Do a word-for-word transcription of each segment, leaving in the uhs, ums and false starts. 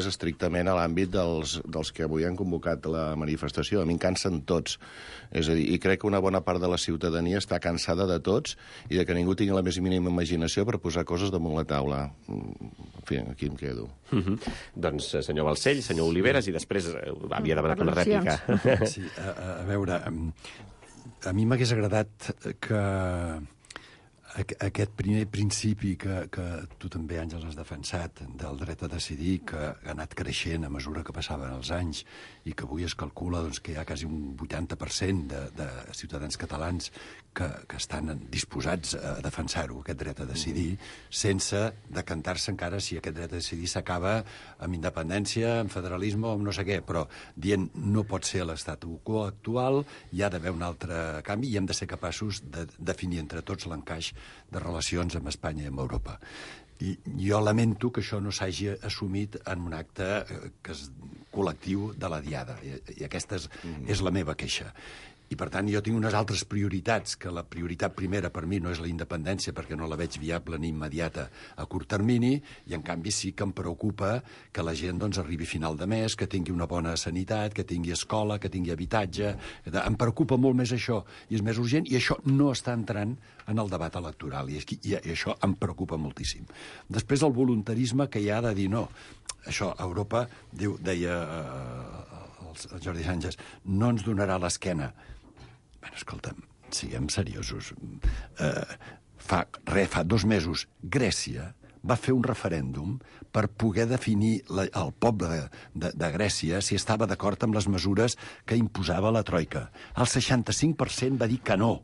només estrictament a l'àmbit dels, dels que avui han convocat la manifestació. A mi em cansen tots. És a dir, i crec que una bona part de la ciutadania està cansada de tots i de que ningú tingui la més mínima imaginació per posar coses damunt la taula. En fi, aquí em quedo. Mm-hmm. Doncs, senyor Balcells, senyor Oliveres, i després havia demanat una rèplica. Sí, a, a veure, a mi m'hagués agradat que aquest primer principi que, que tu també, Àngels, has defensat, del dret a decidir, que ha anat creixent a mesura que passaven els anys i que avui es calcula doncs, que hi ha quasi un vuitanta per cent de, de ciutadans catalans que, que estan disposats a defensar-ho, aquest dret a decidir, sense decantar-se encara si aquest dret a decidir s'acaba amb independència, amb federalisme o amb no sé què, però dient no pot ser l'estat quo actual, hi ha d'haver un altre canvi i hem de ser capaços de definir entre tots l'encaix de relacions amb Espanya i amb Europa. I jo lamento que això no s'hagi assumit en un acte que és col·lectiu de la Diada, i, i aquesta és, mm. és la meva queixa. I, per tant, jo tinc unes altres prioritats, que la prioritat primera per mi no és la independència, perquè no la veig viable ni immediata a curt termini, i, en canvi, sí que em preocupa que la gent doncs, arribi a final de mes, que tingui una bona sanitat, que tingui escola, que tingui habitatge. Em preocupa molt més això, i és més urgent, i això no està entrant en el debat electoral, i, i, i això em preocupa moltíssim. Després, el voluntarisme que hi ha de dir no. Això, Europa, diu, deia eh, el Jordi Sànchez, no ens donarà l'esquena. Bueno, escolta'm, siguem seriosos. Eh, fa, re, fa dos mesos, Grècia va fer un referèndum per poder definir la, el poble de, de, de Grècia si estava d'acord amb les mesures que imposava la Troika. El seixanta-cinc per cent va dir que no.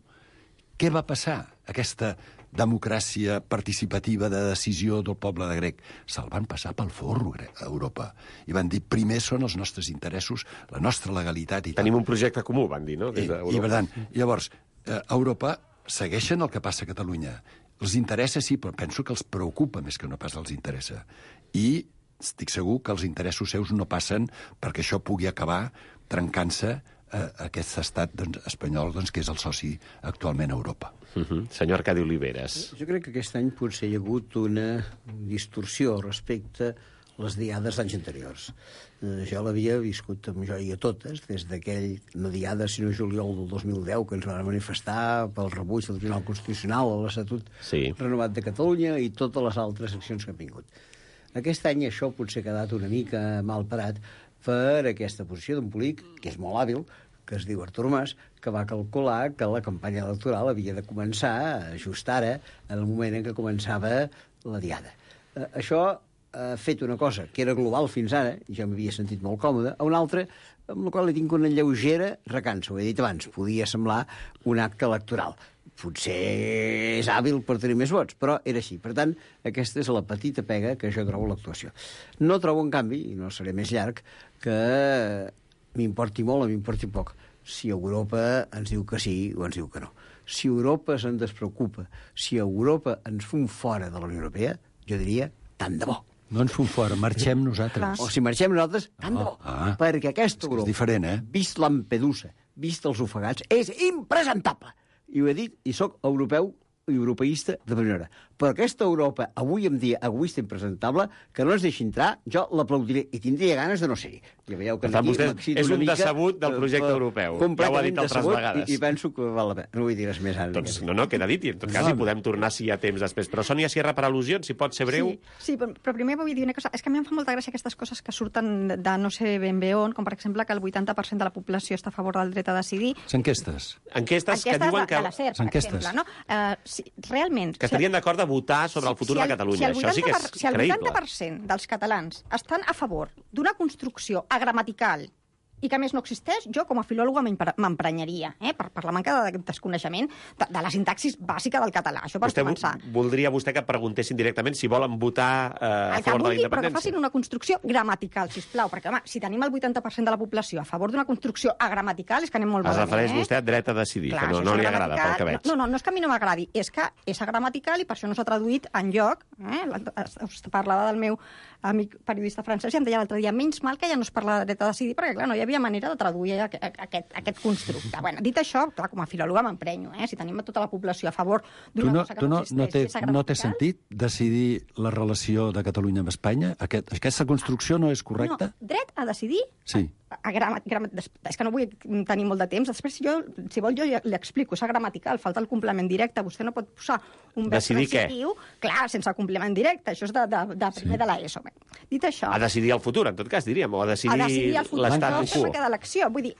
Què va passar? Aquesta democràcia participativa de decisió del poble de grec. Se'l van passar pel forro a Europa. I van dir, primer són els nostres interessos, la nostra legalitat i tal. Tenim un projecte comú, van dir, no? Des I, i per tant, llavors, a Europa segueixen el que passa a Catalunya. Els interessa, sí, però penso que els preocupa més que no pas els interessa. I estic segur que els interessos seus no passen perquè això pugui acabar trencant-se a aquest estat doncs, espanyol, doncs, que és el soci actualment a Europa. Uh-huh. Senyor Arcadi Oliveres. Jo crec que aquest any potser hi ha hagut una distorsió respecte a les diades d'anys anteriors. Eh, jo l'havia viscut amb joia totes, des d'aquell, no diada, sinó juliol del dos mil deu, que ens van manifestar pel rebuig del Tribunal Constitucional a l'Estatut sí. renovat de Catalunya i totes les altres accions que han vingut. Aquest any això potser ha quedat una mica mal parat per aquesta posició d'un polític que és molt hàbil, que es diu Artur Mas, que va calcular que la campanya electoral havia de començar just ara, en el moment en què començava la diada. Eh, això ha fet una cosa que era global fins ara, i jo m'havia sentit molt còmode, a una altra, amb la qual li tinc una lleugera recança. Ho he dit abans, podia semblar un acte electoral. Potser és hàbil per tenir més vots, però era així. Per tant, aquesta és la petita pega que jo trobo l'actuació. No trobo, en canvi, i no seré més llarg, que m'importi molt o m'importi poc si Europa ens diu que sí o ens diu que no. Si Europa se'n despreocupa, si Europa ens fum fora de la Unió Europea, jo diria, tant de bo. No ens fum fora, marxem nosaltres. O si marxem nosaltres, tant de bo. Ah, perquè aquesta Europa, és diferent, eh? vist Lampedusa, vist els ofegats, és impresentable. I ho he dit, i sóc europeu i europeista de primera. Però aquesta Europa, avui en dia, egoista i impresentable, que no ens deixi entrar, jo l'aplaudiré i tindria ganes de no ser-hi. Ja veieu que per tant, vostè és un mica, decebut del projecte uh, europeu. Ja ho ha dit altres vegades. I, I penso que val la pena. No vull dir res més ara. Doncs no, no, queda dit, i en tot cas no, hi podem tornar si hi ha temps després. Però Sònia Sierra, per al·lusions, si pot ser breu. Sí, sí, però primer vull dir una cosa. És que a mi em fa molta gràcia aquestes coses que surten de no sé ben bé on, com per exemple que el vuitanta per cent de la població està a favor del dret a decidir. Enquestes. Enquestes que diuen que... de la SER, per exemple, no? Uh, si, realment... Que estarien d'acord de votar sobre el futur si el, de Catalunya. Si el Això sí que és per, si el creïble. vuitanta per cent dels catalans estan a favor d'una construcció agramatical i que a més no existeix, jo com a filòloga m'emprenyaria, eh, per, per la manca de desconeixement de, de la sintaxis bàsica del català. Això per vostè començar. Voldria vostè que preguntessin directament si volen votar eh, a el favor vulgui, de la independència? Però que facin una construcció gramatical, sisplau, perquè, home, si tenim el vuitanta per cent de la població a favor d'una construcció agramatical, és que anem molt es malament. Es refereix eh? vostè a dret a decidir, Clar, que no, no li agrada, pel que veig. No, no, no és que a mi no m'agradi, és que és agramatical i per això no s'ha traduït enlloc, eh? Es parlava del meu amic periodista francès, i em deia l'altre dia, menys mal que ja no es parla de dret a decidir, perquè, clar, no hi havia manera de traduir aquest, aquest constructe. Bueno, dit això, clar, com a filòloga m'emprenyo, eh? Si tenim tota la població a favor d'una no, cosa que tu no, no no, té, existeix, no té sentit decidir la relació de Catalunya amb Espanya? Aquest, aquesta construcció no és correcta? No, dret a decidir... Sí. A, a grama, grama, és que no vull tenir molt de temps. Després, si, jo, si vol, jo li explico. És gramatical, falta el complement directe. Vostè no pot posar un verb transitiu, clar, sense complement directe. Això és de, de, de primer sí. de l'ESO. Dit això... A decidir el futur, en tot cas, diríem, o a decidir, a decidir l'estat quo. A l'elecció. Vull dir,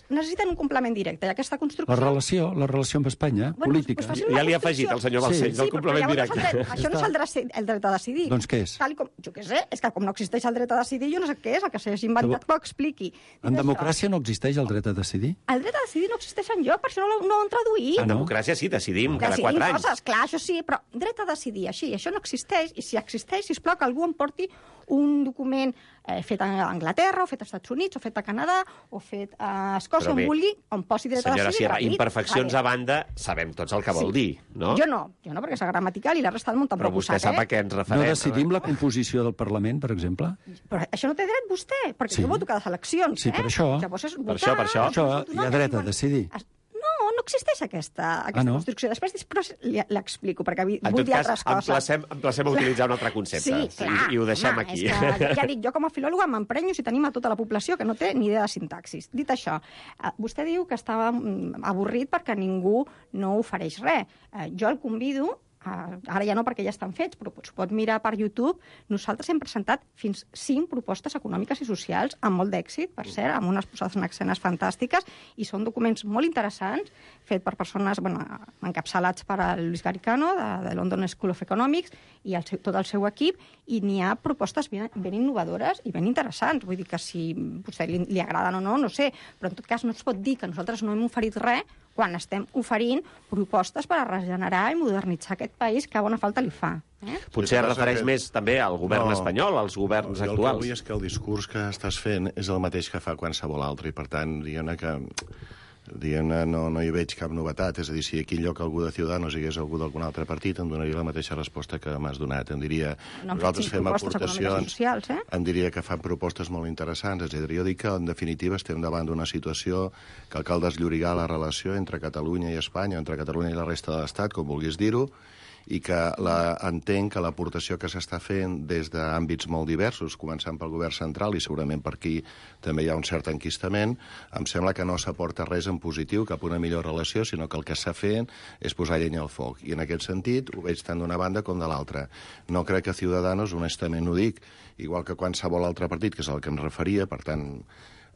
necessiten un complement directe. I aquesta construcció... La relació, la relació amb Espanya, bueno, política. Pues ja li ha afegit el senyor Balcells, sí. el complement sí, directe. No dret, això no és el dret, el dret a decidir. Doncs què és? Tal com, jo què sé, és que com no existeix el dret a decidir, jo no sé què és, el que s'hagi inventat que ho expliqui. En democràcia no existeix el dret a decidir? El dret a decidir no existeix enlloc, per això no, no ho han traduït. En democràcia sí, decidim cada decidim quatre anys. Coses, clar, això sí, però dret a decidir, així, això no existeix, i si existeix, sisplau, que algú em porti un document eh, fet a Anglaterra, o fet als Estats Units, o fet a Canadà, o fet a Escòcia, on vulgui, on posi dret senyora a decidir. Sierra, imperfeccions vale. a banda, sabem tots el que vol sí. dir, no? Jo no, jo no, perquè és gramatical i la resta del món tampoc ho sap, Però vostè sap eh? a què ens referem. No decidim la composició del Parlament, per exemple? Però això no té dret vostè, perquè sí. jo voto cada eleccions, sí, eh? per això. Llavors és per això, per això. això hi ha dret a decidir. No, no existeix aquesta, aquesta ah, no? construcció. Després, després l'explico, perquè vull dir altres coses. Emplacem, emplacem a utilitzar un altre concepte. Sí, clar. I, i ho deixem home, aquí. Que, ja dic, jo com a filòloga m'emprenyo si tenim a tota la població que no té ni idea de sintaxis. Dit això, vostè diu que estava avorrit perquè ningú no ofereix res. Jo el convido... ara ja no perquè ja estan fets, però s'ho pot mirar per YouTube. Nosaltres hem presentat fins cinc propostes econòmiques i socials amb molt d'èxit, per cert, amb unes posades en escenes fantàstiques, i són documents molt interessants, fet per persones bueno, encapçalats per a Luis Garicano, de, de London School of Economics, i el seu, tot el seu equip, i n'hi ha propostes ben, ben innovadores i ben interessants. Vull dir que si potser li, li agraden o no, no sé, però en tot cas no es pot dir que nosaltres no hem oferit res quan estem oferint propostes per a regenerar i modernitzar aquest país que a bona falta li fa. Eh? Potser es refereix que... més també al govern no, espanyol, als governs no, actuals. El que vull és que el discurs que estàs fent és el mateix que fa qualsevol altre, i per tant, diguem-ne que diguem-ne, no, no hi veig cap novetat. És a dir, si aquí en lloc algú de Ciudadanos hi hagués algú d'algun altre partit, em donaria la mateixa resposta que m'has donat. Em diria, no nosaltres fem aportacions, socials, eh? em diria que fan propostes molt interessants. És a dir, jo dic que, en definitiva, estem davant d'una situació que cal desllorigar la relació entre Catalunya i Espanya, entre Catalunya i la resta de l'Estat, com vulguis dir-ho, i que la, entenc que l'aportació que s'està fent des d'àmbits molt diversos, començant pel govern central i segurament per aquí també hi ha un cert enquistament, em sembla que no s'aporta res en positiu cap a una millor relació, sinó que el que s'ha fet és posar llenya al foc. I en aquest sentit ho veig tant d'una banda com de l'altra. No crec que Ciudadanos, honestament ho dic, igual que qualsevol altre partit, que és al que em referia, per tant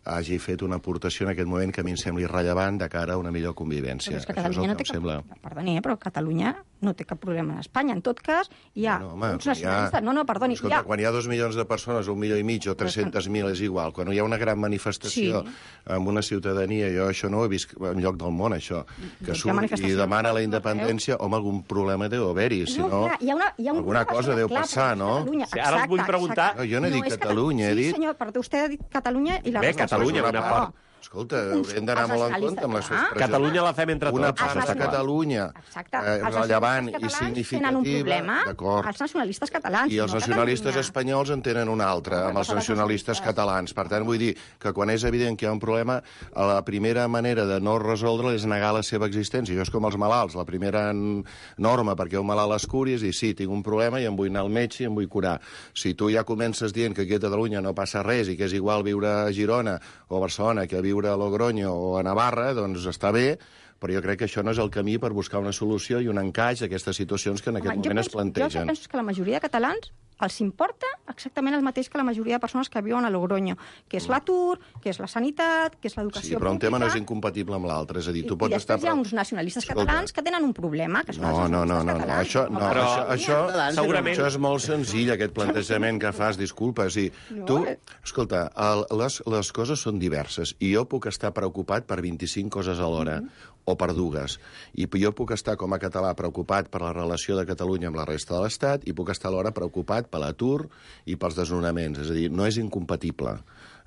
hagi fet una aportació en aquest moment que a mi em sembli rellevant de cara a una millor convivència. Però és que Catalunya no té cap... Sembla... Perdoni, eh, però Catalunya no té cap problema en Espanya. En tot cas, hi ha no, home, uns nacionalistes... Ha... No, no, perdoni. Escolta, hi ha... quan hi ha dos milions de persones, un milió i mig o tres-centes mil és igual. Quan hi ha una gran manifestació sí. amb una ciutadania, jo això no ho he vist enlloc del món, això, que surt i demana la independència, home, algun problema deu haver-hi, si no, hi ha una, hi ha un alguna cosa deu clar, passar, no? Sí, ara us vull preguntar... No, jo no he dit Catalunya, he dit... Sí, senyor, però vostè ha dit Catalunya i la... Bé, Catalunya, una part... Escolta, haurem d'anar molt en compte amb les expressions. Catalunya la fem entre tots. Una part de Catalunya eh, rellevant i significativa, d'acord. Els nacionalistes catalans. I els nacionalistes espanyols en tenen un altre, amb els nacionalistes catalans. Per tant, vull dir que quan és evident que hi ha un problema, la primera manera de no resoldre és negar la seva existència. Això és com els malalts. La primera norma perquè un malalt es curi és dir, sí, tinc un problema i em vull anar al metge i em vull curar. Si tu ja comences dient que aquí a Catalunya no passa res i que és igual viure a Girona o a Barcelona que viure a Logroño o a Navarra, doncs està bé, però jo crec que això no és el camí per buscar una solució i un encaix a aquestes situacions que en aquest Home, moment penso, es plantegen. Jo penso que la majoria de catalans els importa exactament el mateix que la majoria de persones que viuen a Logroño, que és l'atur, que és la sanitat, que és l'educació pública... Sí, però un tema no és incompatible amb l'altre, és a dir, tu pots I estar... després hi ha uns nacionalistes Escolta. catalans que tenen un problema, que són no, els no, no, nacionalistes no, catalans. Això, no, però, això, això, segurament... això és molt senzill, aquest plantejament que fas, disculpa. Sí. No, tu, eh. escolta, el, les, les coses són diverses i jo puc estar preocupat per vint-i-cinc coses alhora, mm-hmm. o per dues. I jo puc estar, com a català, preocupat per la relació de Catalunya amb la resta de l'Estat i puc estar alhora preocupat per l'atur i pels desnonaments. És a dir, no és incompatible.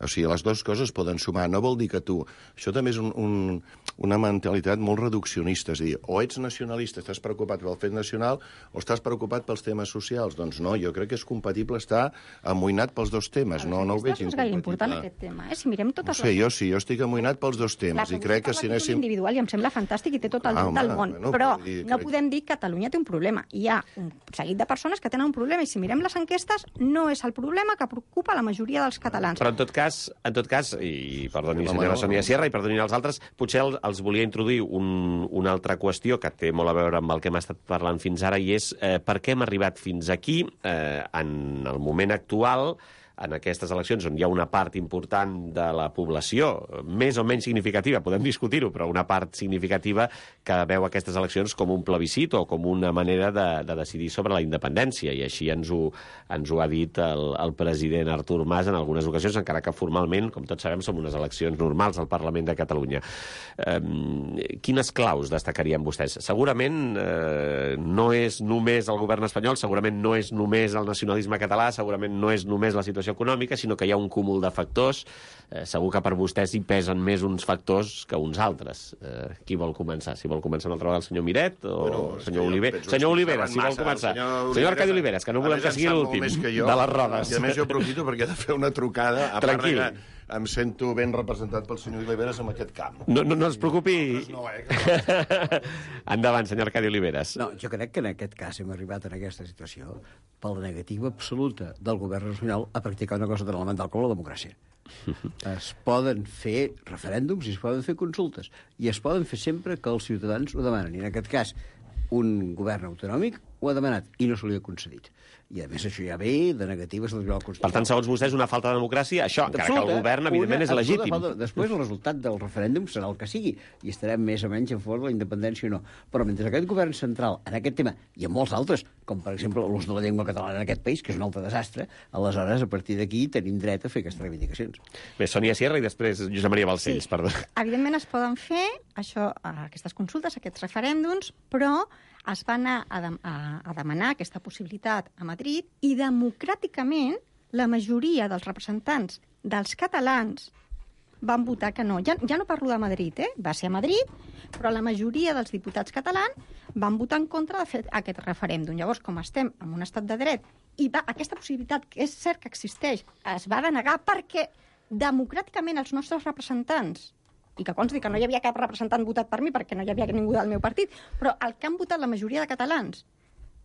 O sigui, les dues coses poden sumar. No vol dir que tu... Això també és un, un, una mentalitat molt reduccionista. És a dir, o ets nacionalista, estàs preocupat pel fet nacional, o estàs preocupat pels temes socials. Doncs no, jo crec que és compatible estar amoïnat pels dos temes. No, no ho veig incompatible. No és gaire important, aquest tema. Eh? Si mirem totes no sé, les... jo sí, jo estic amoïnat pels dos temes. I crec que si anéssim... individual i em sembla fantàstic i té tot el dret del món. Bueno, però dir, no crec... podem dir que Catalunya té un problema. Hi ha un seguit de persones que tenen un problema i si mirem les enquestes no és el problema que preocupa la majoria dels catalans. Però en tot cas, en tot cas i perdoni, senyora Sònia Sierra, i perdoni els altres, potser el, els volia introduir un, una altra qüestió que té molt a veure amb el que hem estat parlant fins ara, i és eh, per què hem arribat fins aquí eh, en el moment actual, en aquestes eleccions on hi ha una part important de la població, més o menys significativa, podem discutir-ho, però una part significativa que veu aquestes eleccions com un plebiscit o com una manera de, de decidir sobre la independència, i així ens ho, ens ho ha dit el, el president Artur Mas en algunes ocasions, encara que formalment, com tots sabem, són unes eleccions normals al Parlament de Catalunya. Eh, quines claus destacarien vostès? Segurament eh, no és només el govern espanyol, segurament no és només el nacionalisme català, segurament no és només la situació econòmica, sinó que hi ha un cúmul de factors. Eh, segur que per vostès hi pesen més uns factors que uns altres. Eh, qui vol començar? Si vol començar una altra vegada el senyor Miret o bueno, el senyor Oliveres? Senyor Oliveres, si vol començar. Senyor, senyor Arcadi Oliveres, que no volem que sigui l'últim de les rodes. I a més jo aprofito perquè he de fer una trucada. A Tranquil. part que em sento ben representat pel senyor Oliveres en aquest camp. No, no, no es preocupi. No, eh, que... Endavant, senyor Arcadi Oliveres. No, jo crec que en aquest cas hem arribat en aquesta situació per la negativa absoluta del govern espanyol a practicar una cosa tan elemental com la democràcia. Es poden fer referèndums i es poden fer consultes i es poden fer sempre que els ciutadans ho demanen. I en aquest cas un govern autonòmic ho ha demanat i no se li ha concedit. I a més això ja ve de negatives del Tribunal Constitucional. Per tant, segons vostès, una falta de democràcia, això, encara que el govern, evidentment, és legítim. Falta. Després el resultat del referèndum serà el que sigui, i estarem més o menys en favor de la independència o no. Però mentre aquest govern central, en aquest tema, i en molts altres, com per exemple l'ús de la llengua catalana en aquest país, que és un altre desastre, aleshores, a partir d'aquí, tenim dret a fer aquestes reivindicacions. Bé, Sònia Sierra i després Josep Maria Balcells, Sí. perdó. Evidentment es poden fer això, aquestes consultes, aquests referèndums, però es va anar a, de, a, a demanar aquesta possibilitat a Madrid i democràticament la majoria dels representants dels catalans van votar que no. Ja, ja no parlo de Madrid, eh? Va ser a Madrid, però la majoria dels diputats catalans van votar en contra de fer aquest referèndum. Llavors, com estem en un estat de dret i va, aquesta possibilitat, que és cert que existeix, es va denegar perquè democràticament els nostres representants, i que consti que no hi havia cap representant votat per mi perquè no hi havia ningú del meu partit, però el que han votat la majoria de catalans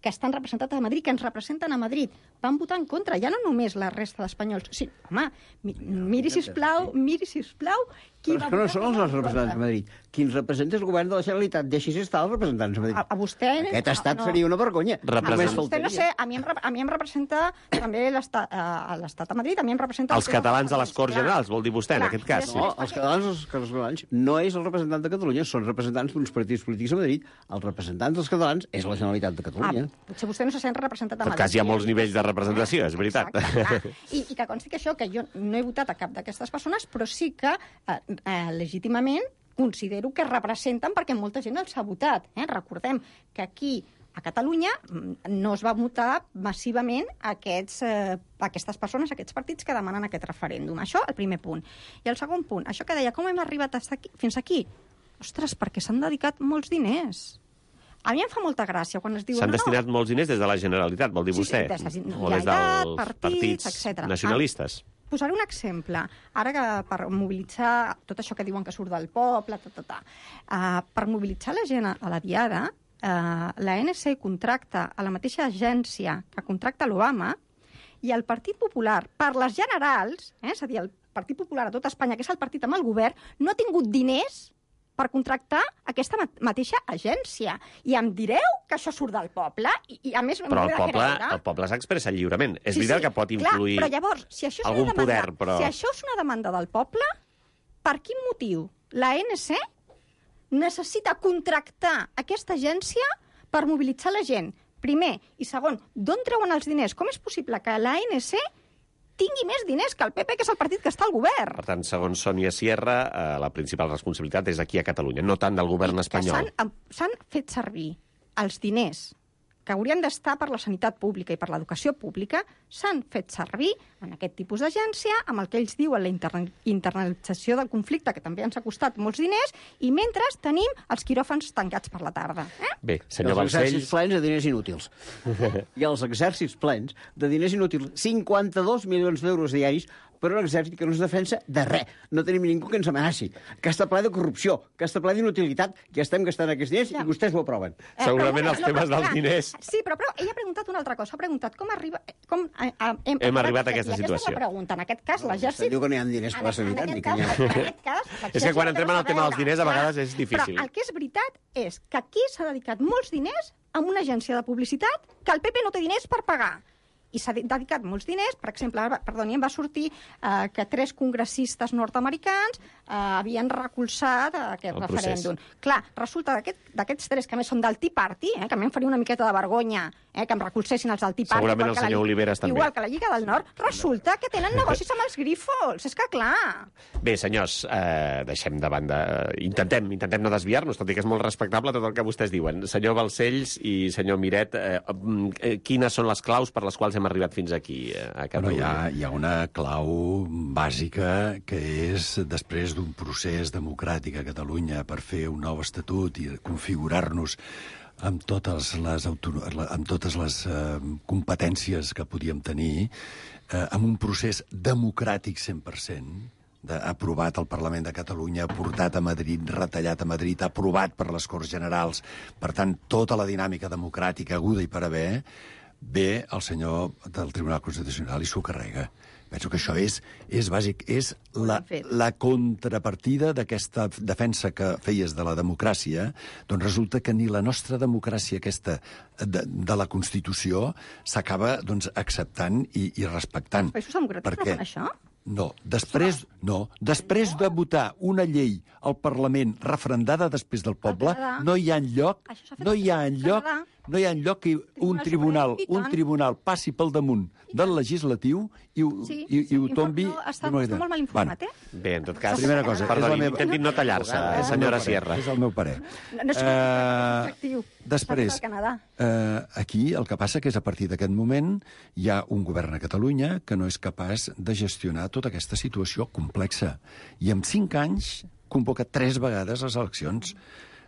que estan representats a Madrid, que ens representen a Madrid, van votar en contra, ja no només la resta d'espanyols. Sí, home, mi, miri, sisplau, miri, sisplau, qui però és que no són els nostres representants a Madrid. Qui ens representa és el govern de la Generalitat. Deixis estar els representants a Madrid. A, a vostè... Aquest estat no. seria una vergonya. Represent... A vostè, no sé, a mi em, a mi em representa també l'estat a Madrid, a mi em representa... Els catalans a les Corts Clar. Generals, vol dir vostè, en Clar, aquest cas. No, els catalans, els catalans no és el representant de Catalunya, són representants d'uns partits polítics a Madrid. Els representants dels catalans és la Generalitat de Catalunya. Ah, potser vostè no se sent representat a En Madrid. tot cas, hi ha molts nivells de representació, és veritat. Exacte, I, I que consti que això, que jo no he votat a cap d'aquestes persones, però sí que eh, eh, legítimament considero que representen perquè molta gent els ha votat. Eh? Recordem que aquí a Catalunya no es va votar massivament aquests, eh, aquestes persones, aquests partits que demanen aquest referèndum. Això, el primer punt. I el segon punt, això que deia, com hem arribat aquí, fins aquí? Ostres, perquè s'han dedicat molts diners. A mi em fa molta gràcia quan es diu... S'han no, destinat no. molts diners des de la Generalitat, vol dir Sí, vostè? sí, des de o des Generalitat, dels partits, partits etcètera. nacionalistes. Ah, posaré un exemple. Ara que per mobilitzar tot això que diuen que surt del poble, ta, ta, ta. Uh, per mobilitzar la gent a la diada, uh, la N C contracta a la mateixa agència que contracta l'Obama i el Partit Popular, per les generals, eh, és a dir, el Partit Popular a tot Espanya, que és el partit amb el govern, no ha tingut diners per contractar aquesta mateixa agència. I em direu que això surt del poble? I, i a més, Però el poble, el poble s'expressa lliurement. És sí, veritat sí, que pot clar, influir però llavors, si això és algun una demanda, poder, però... Si això és una demanda del poble, per quin motiu la N C necessita contractar aquesta agència per mobilitzar la gent? Primer. I segon, d'on treuen els diners? Com és possible que la N C tingui més diners que el P P, que és el partit que està al govern? Per tant, segons Sònia Sierra, eh, la principal responsabilitat és aquí a Catalunya, no tant del govern I espanyol. S'han fet servir els diners que haurien d'estar per la sanitat pública i per l'educació pública s'han fet servir en aquest tipus d'agència, amb el que ells diuen la interna internalització del conflicte, que també ens ha costat molts diners, i mentre tenim els quiròfans tancats per la tarda. Eh? Bé, senyor els Balcells... exèrcits plens de diners inútils. I els exèrcits plens de diners inútils. cinquanta-dos milions d'euros diaris per un exèrcit que no es defensa de res. No tenim ningú que ens amenaci, que està ple de corrupció, que està ple d'inutilitat, que estem gastant aquests diners ja. I vostès ho aproven. Eh, Segurament però, els temes no, dels diners... Sí, però, però ella ha preguntat una altra cosa. Ha preguntat com arriba... Com, a, a, hem, hem arribat a aquesta i situació. Aquesta és la pregunta. En aquest cas, l'exèrcit... Diu que no hi ha diners per la sanitat. En, en, en, en aquest cas... És que quan entrem en el tema dels diners, a vegades és difícil. Però el que és veritat és que aquí s'ha dedicat molts diners a una agència de publicitat que el P P no té diners per pagar. I s'ha dedicat molts diners, per exemple, perdoni, em va sortir eh, que tres congressistes nord-americans eh, havien recolzat aquest el referèndum. procés. Clar, resulta d'aquests tres, que a més són del Tea Party, eh, que a mi em faria una miqueta de vergonya eh, que em recolzessin els del Tea Party. Segurament el senyor la, Oliveres també. Igual que la Lliga del Nord, resulta que tenen negocis amb els grífols. És que clar... Bé, senyors, eh, deixem de banda... Intentem, intentem no desviar-nos, tot i que és molt respectable tot el que vostès diuen. Senyor Balcells i senyor Miret, eh, eh, quines són les claus per les quals hem arribat fins aquí, a Catalunya? Bueno, hi, ha, hi ha una clau bàsica que és, després d'un procés democràtic a Catalunya per fer un nou estatut i configurar-nos amb totes les, amb totes les eh, competències que podíem tenir, eh, amb un procés democràtic cent per cent, de, aprovat al Parlament de Catalunya, portat a Madrid, retallat a Madrid, aprovat per les Corts Generals, per tant, tota la dinàmica democràtica aguda i per haver, ve el senyor del Tribunal Constitucional i s'ho carrega. Penso que això és, és bàsic, és la, la contrapartida d'aquesta defensa que feies de la democràcia, doncs resulta que ni la nostra democràcia aquesta de, de la Constitució s'acaba doncs, acceptant i, i respectant. Els països democràtics no fan això? No, després, no, després de votar una llei al Parlament referendada després del poble, no hi ha enlloc, no hi ha enlloc, no hi ha enlloc que un tribunal, un tribunal passi pel damunt del legislatiu i, sí, i, sí, i ho tombi... No, està, està molt mal informat, eh? Bé, en tot cas... Primera cosa, perdoni, és la meva... intentin no tallar-se, senyora Sierra. És el meu parer. No, no és objectiu. Després, eh, aquí el que passa que és a partir d'aquest moment hi ha un govern a Catalunya que no és capaç de gestionar tota aquesta situació complexa. I en cinc anys convoca tres vegades les eleccions.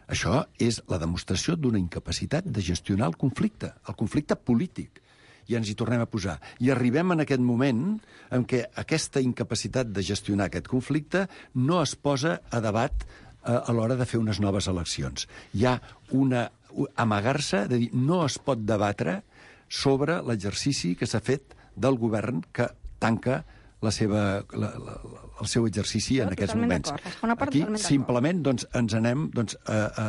Això és la demostració d'una incapacitat de gestionar el conflicte, el conflicte polític. I ens hi tornem a posar. I arribem en aquest moment en què aquesta incapacitat de gestionar aquest conflicte no es posa a debat eh, a l'hora de fer unes noves eleccions. Hi ha una amagar-se de dir no es pot debatre sobre l'exercici que s'ha fet del govern que tanca la seva, la, la, el seu exercici en aquests moments. Aquí simplement doncs, ens anem doncs, a, a,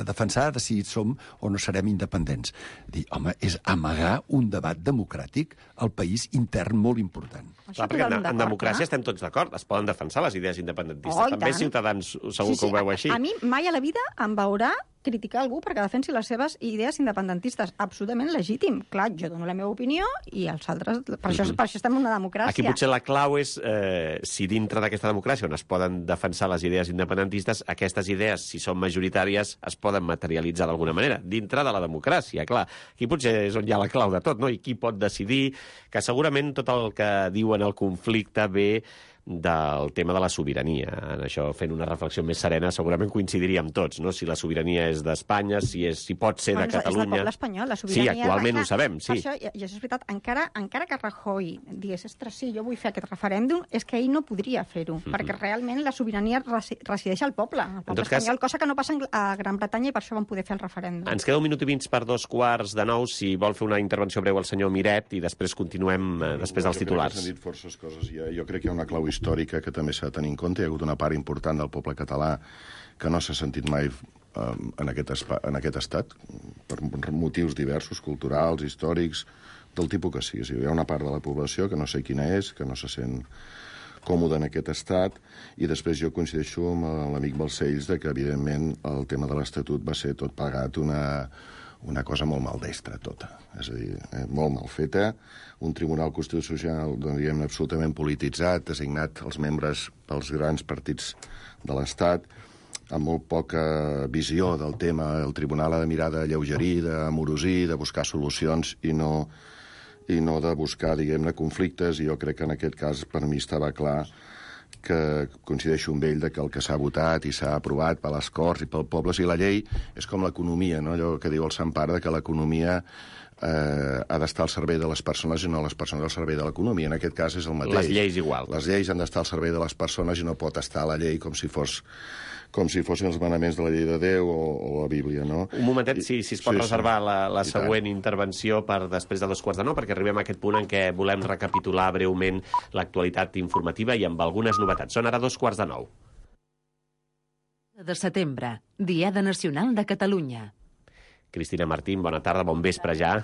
a defensar de si som o no serem independents. Dir, home, és amagar un debat democràtic al país intern molt important. Clar, perquè en, en democràcia estem tots d'acord. Es poden defensar les idees independentistes. Oh, també Ciutadans segur sí, sí, que ho veu així. A, a mi mai a la vida em veurà criticar algú perquè defensi les seves idees independentistes. Absolutament legítim. Clar, jo dono la meva opinió i els altres... Per, això, per això estem en una democràcia. Aquí potser la clau és eh, si dintre d'aquesta democràcia on es poden defensar les idees independentistes, aquestes idees, si són majoritàries, es poden materialitzar d'alguna manera, dintre de la democràcia. Clar, aquí potser és on hi ha la clau de tot, no? I qui pot decidir, que segurament tot el que diuen el conflicte ve del tema de la sobirania. En això, fent una reflexió més serena, segurament coincidiríem tots, no? Si la sobirania és d'Espanya, si, és, si pot ser bueno, de Catalunya... És del poble espanyol, la sobirania... Sí, actualment clar, ho sabem, sí. Per això, i, i això és veritat, encara, encara que Rajoy digués, ostres, sí, jo vull fer aquest referèndum, és que ell no podria fer-ho, mm -hmm. perquè realment la sobirania resi resideix al poble, al poble espanyol, cas... cosa que no passa a Gran Bretanya i per això van poder fer el referèndum. Ens queda un minut i mig per dos quarts de nou, si vol fer una intervenció breu el senyor Miret, i després continuem eh, després dels titulars. Jo crec que s'han dit forces coses. Jo, jo crec que hi ha una clau històrica que també s'ha de tenir en compte. Hi ha hagut una part important del poble català que no s'ha sentit mai um, en, aquest espa, en aquest estat, per motius diversos, culturals, històrics, del tipus que sigui. Hi ha una part de la població que no sé quina és, que no se sent còmode en aquest estat, i després jo coincideixo amb l'amic Balcells de que, evidentment, el tema de l'Estatut va ser tot pagat una... una cosa molt maldestra, tota. És a dir, eh, molt mal feta, un tribunal constitucional, diguem, absolutament polititzat, designat els membres pels grans partits de l'Estat, amb molt poca visió del tema. El tribunal ha de mirar de lleugerir, d'amorosir, de buscar solucions i no, i no de buscar, diguem-ne, conflictes. I jo crec que en aquest cas per mi estava clar que coincideixo amb ell de que el que s'ha votat i s'ha aprovat per les Corts i pel poble, i la llei és com l'economia, no? Allò que diu el Sant Pare, que l'economia eh, ha d'estar al servei de les persones i no les persones al servei de l'economia. En aquest cas és el mateix. Les lleis igual. Les lleis han d'estar al servei de les persones i no pot estar a la llei com si fos com si fossin els manaments de la llei de Déu o, o la Bíblia, no? Un momentet, si, si es pot sí, reservar sí. la, la I següent tant. intervenció per després de dos quarts de nou, perquè arribem a aquest punt en què volem recapitular breument l'actualitat informativa i amb algunes novetats. Són ara dos quarts de nou. De setembre, Diada Nacional de Catalunya. Cristina Martín, bona tarda, bon vespre ja.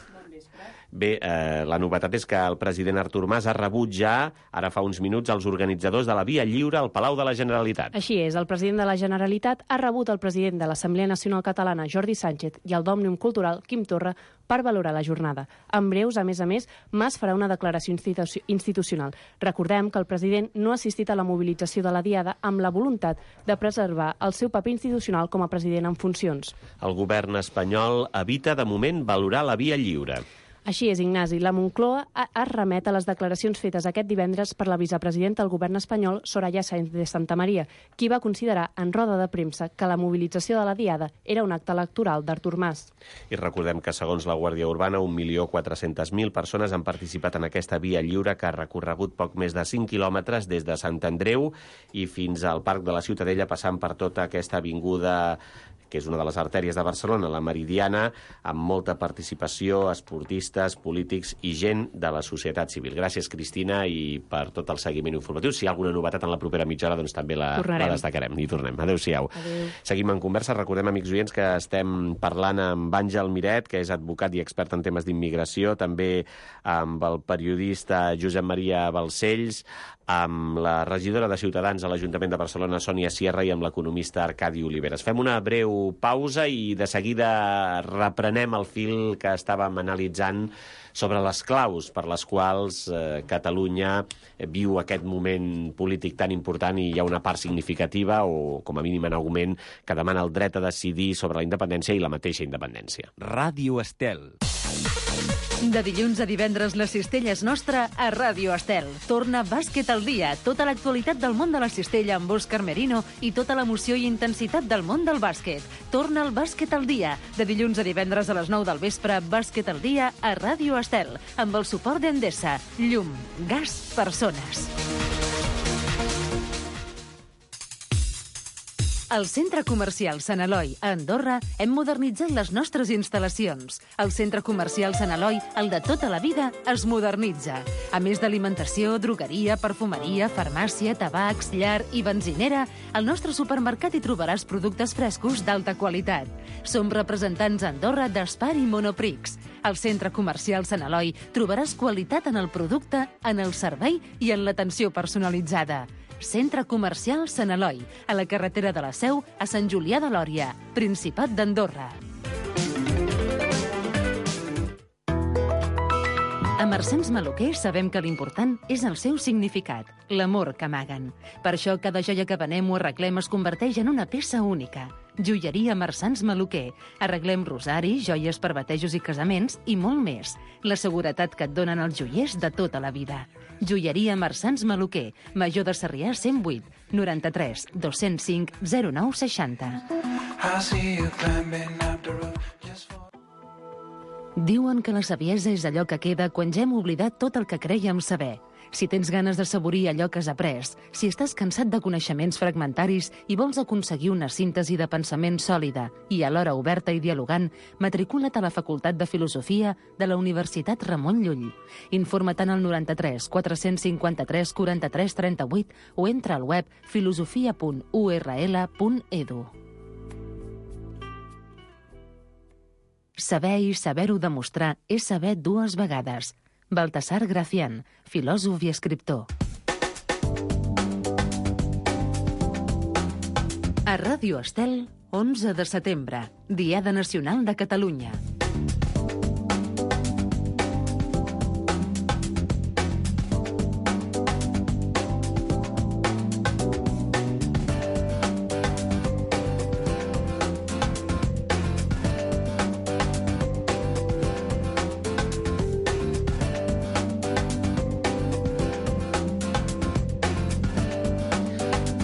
Bé, eh, la novetat és que el president Artur Mas ha rebut ja, ara fa uns minuts, els organitzadors de la Via Lliure al Palau de la Generalitat. Així és, el president de la Generalitat ha rebut el president de l'Assemblea Nacional Catalana, Jordi Sánchez, i el d'Òmnium Cultural, Quim Torra, per valorar la jornada. En breus, a més a més, Mas farà una declaració institu institucional. Recordem que el president no ha assistit a la mobilització de la Diada amb la voluntat de preservar el seu paper institucional com a president en funcions. El govern espanyol evita, de moment, valorar la Via Lliure. Així és, Ignasi. La Moncloa es remet a les declaracions fetes aquest divendres per la vicepresidenta del govern espanyol, Soraya Sáenz de Santamaría, qui va considerar en roda de premsa que la mobilització de la Diada era un acte electoral d'Artur Mas. I recordem que, segons la Guàrdia Urbana, un milió quatre-centes mil persones han participat en aquesta Via Lliure que ha recorregut poc més de cinc quilòmetres des de Sant Andreu i fins al Parc de la Ciutadella, passant per tota aquesta avinguda que és una de les artèries de Barcelona, la Meridiana, amb molta participació, esportistes, polítics i gent de la societat civil. Gràcies, Cristina, i per tot el seguiment informatiu. Si hi ha alguna novetat en la propera mitja hora, doncs també la, la destacarem. I tornem. Adéu-siau. Adéu. Seguim en conversa. Recordem, amics oients, que estem parlant amb Àngel Miret, que és advocat i expert en temes d'immigració, també amb el periodista Josep Maria Balcells, amb la regidora de Ciutadans a l'Ajuntament de Barcelona, Sònia Sierra, i amb l'economista Arcadi Oliveres. Fem una breu pausa i de seguida reprenem el fil que estàvem analitzant sobre les claus per les quals eh, Catalunya viu aquest moment polític tan important, i hi ha una part significativa, o com a mínim en augment, que demana el dret a decidir sobre la independència i la mateixa independència. Ràdio Estel. De dilluns a divendres la cistella és nostra a Ràdio Estel. Torna Bàsquet al dia, tota l'actualitat del món de la cistella amb Òscar Merino i tota l'emoció i intensitat del món del bàsquet. Torna el Bàsquet al dia. De dilluns a divendres a les nou del vespre, Bàsquet al dia a Ràdio Estel, amb el suport d'Endesa. Llum, gas, persones. Al Centre Comercial Sant Eloi, a Andorra, hem modernitzat les nostres instal·lacions. El Centre Comercial Sant Eloi, el de tota la vida, es modernitza. A més d'alimentació, drogueria, perfumeria, farmàcia, tabacs, llar i benzinera, al nostre supermercat hi trobaràs productes frescos d'alta qualitat. Som representants a Andorra d'Espar i Monoprix. Al Centre Comercial Sant Eloi trobaràs qualitat en el producte, en el servei i en l'atenció personalitzada. Centre Comercial Sant Eloi, a la carretera de la Seu, a Sant Julià de Lòria, Principat d'Andorra. A Marsans Maluquer sabem que l'important és el seu significat, l'amor que amaguen. Per això cada joia que venem o arreglem es converteix en una peça única. Joieria Marsans Maluquer. Arreglem rosaris, joies per batejos i casaments i molt més. La seguretat que et donen els joiers de tota la vida. Joieria Marsans Maluquer, Major de Sarrià cent vuit, noranta-tres, dos-cents cinc, zero nou seixanta. Diuen que la saviesa és allò que queda quan ja hem oblidat tot el que crèiem saber. Si tens ganes de saborir allò que has après, si estàs cansat de coneixements fragmentaris i vols aconseguir una síntesi de pensament sòlida i alhora oberta i dialogant, matricula't a la Facultat de Filosofia de la Universitat Ramon Llull. Informa't al noranta-tres, quatre-cents cinquanta-tres, quaranta-tres, trenta-vuit o entra al web filosofia punt u erra ele punt edu. Saber i saber-ho demostrar és saber dues vegades. Baltasar Gracián, filòsof i escriptor. A Ràdio Estel, onze de setembre, Diada Nacional de Catalunya.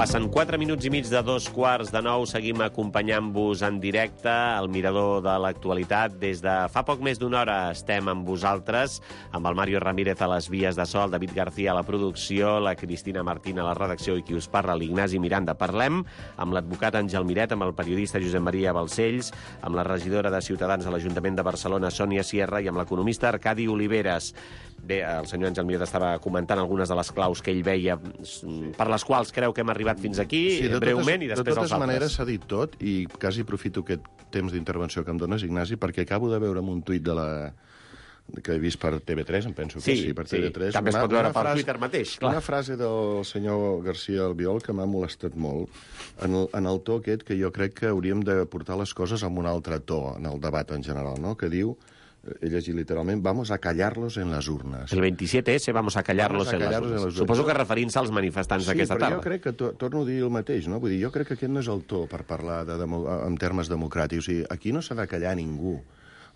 Passen quatre minuts i mig de dos quarts de nou. Seguim acompanyant-vos en directe al mirador de l'actualitat. Des de fa poc més d'una hora estem amb vosaltres, amb el Mario Ramírez a les vies de so, el David García a la producció, la Cristina Martín a la redacció i qui us parla, l'Ignasi Miranda. Parlem amb l'advocat Àngel Miret, amb el periodista Josep Maria Balcells, amb la regidora de Ciutadans a l'Ajuntament de Barcelona, Sònia Sierra, i amb l'economista Arcadi Oliveres. Bé, el senyor Àngel Miret estava comentant algunes de les claus que ell veia per les quals creu que hem arribat fins aquí, sí, de breument, totes, i després els altres. De totes maneres s'ha dit tot, i quasi aprofito aquest temps d'intervenció que em dones, Ignasi, perquè acabo de veure un tuit de la que he vist per T V tres, em penso que sí, sí per T V tres. Sí. També es pot veure per Twitter mateix, clar. Una frase del senyor García Albiol que m'ha molestat molt, en el, en el to aquest que jo crec que hauríem de portar les coses amb un altre to en el debat en general, no? Que diu, he llegit literalment, vamos a callarlos en las urnas. El veintisiete ese, vamos a callarlos, vamos a callarlos en, les en les urnes. Suposo que referint-se als manifestants sí, d'aquesta tarda. Sí, però jo crec que, to, torno a dir el mateix, no? Vull dir, jo crec que aquest no és el to per parlar de, de, en termes democràtics. O sigui, aquí no s'ha de callar ningú.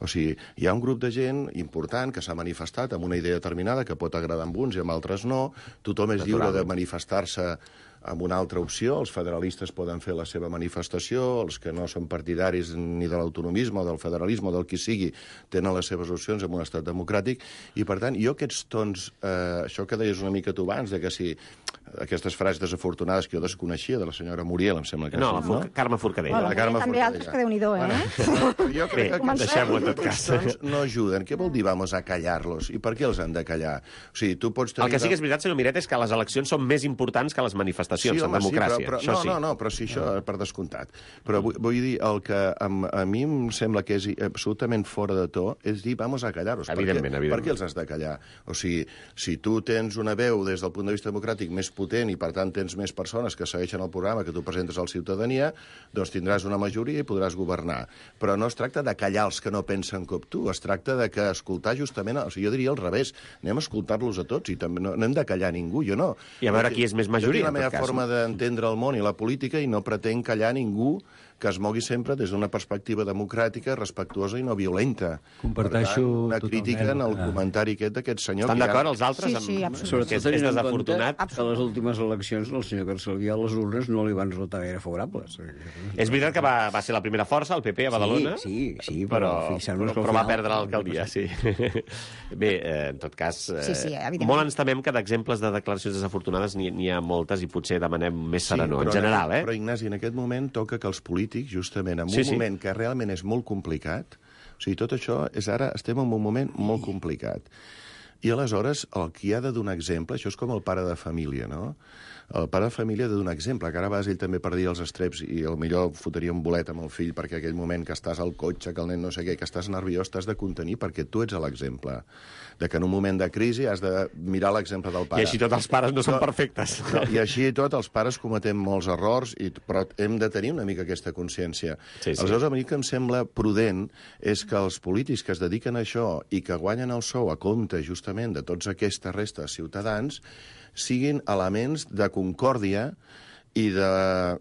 O sigui, hi ha un grup de gent important que s'ha manifestat amb una idea determinada que pot agradar amb uns i amb altres no. Tothom és lliure de manifestar-se amb una altra opció. Els federalistes poden fer la seva manifestació, els que no són partidaris ni de l'autonomisme o del federalisme o del qui sigui tenen les seves opcions en un estat democràtic, i per tant jo aquests tons, eh, això que deies una mica tu abans, de que si aquestes frases desafortunades que jo desconeixia de la senyora Muriel, em sembla que no, sí, no? Carme Forcadell. Bueno, la Carme també Forcadell. altres que déu-n'hi-do, eh? Bueno, jo crec Bé, que deixem-ho en tot cas. Aquests tons no ajuden. Què vol dir vamos a callar-los? I per què els han de callar? O sigui, tu pots tenir... El que sí que és veritat, senyor Miret, és que les eleccions són més importants que les manifestacions sí, en home, democràcia. Sí, però, però, això no, sí. no, no, però sí, això per descomptat. Però vull, vull dir, el que a, a mi em sembla que és absolutament fora de to és dir, vamos a callar-los. Evidentment, per què, evidentment. Per què els has de callar? O sigui, si tu tens una veu des del punt de vista democràtic més potent i, per tant, tens més persones que segueixen el programa que tu presentes a la ciutadania, doncs tindràs una majoria i podràs governar. Però no es tracta de callar els que no pensen com tu, es tracta de que escoltar justament... O sigui, jo diria al revés, anem a escoltar-los a tots i també no, no hem de callar ningú, jo no. I a veure qui és més majoria, en tot cas. Jo tinc la meva forma d'entendre el món i la política i no pretenc callar ningú que es mogui sempre des d'una perspectiva democràtica, respectuosa i no violenta. Comparteixo per tant, una crítica en el comentari aquest d'aquest senyor... Estan d'acord els Sí, altres? sí, amb... absolutament. Sobretot tenint en compte Absolut. que a les últimes eleccions el senyor García a les urnes no li van resultar gaire favorables. És veritat que va, va ser la primera força, el P P, a Badalona? Sí, sí, sí però, però, però, però, però va perdre l'alcaldia, sí. Bé, eh, en tot cas, eh, Sí, sí, evidentment. molt ens temem que d'exemples de declaracions desafortunades n'hi ha moltes i potser demanem més serenor, sí, en general, eh? Però, Ignasi, en aquest moment toca que els polítics, justament, en Sí, un sí. moment que realment és molt complicat, o sigui, tot això és ara, estem en un moment molt complicat. I aleshores, el qui ha de donar exemple, això és com el pare de família, no? El pare de família ha de donar exemple, que ara vas ell també perdia els estreps i millor fotria un bolet amb el fill perquè aquell moment que estàs al cotxe, que el nen no sé què, que estàs nerviós, t'has de contenir perquè tu ets l'exemple. De que en un moment de crisi has de mirar l'exemple del pare. I així tots els pares no són No, perfectes. No, I així i tot els pares cometem molts errors, i, però hem de tenir una mica aquesta consciència. Sí, sí. Aleshores, a mi que em sembla prudent és que els polítics que es dediquen a això i que guanyen el sou a compte justament de tots aquestes restes ciutadans siguin elements de concòrdia i de,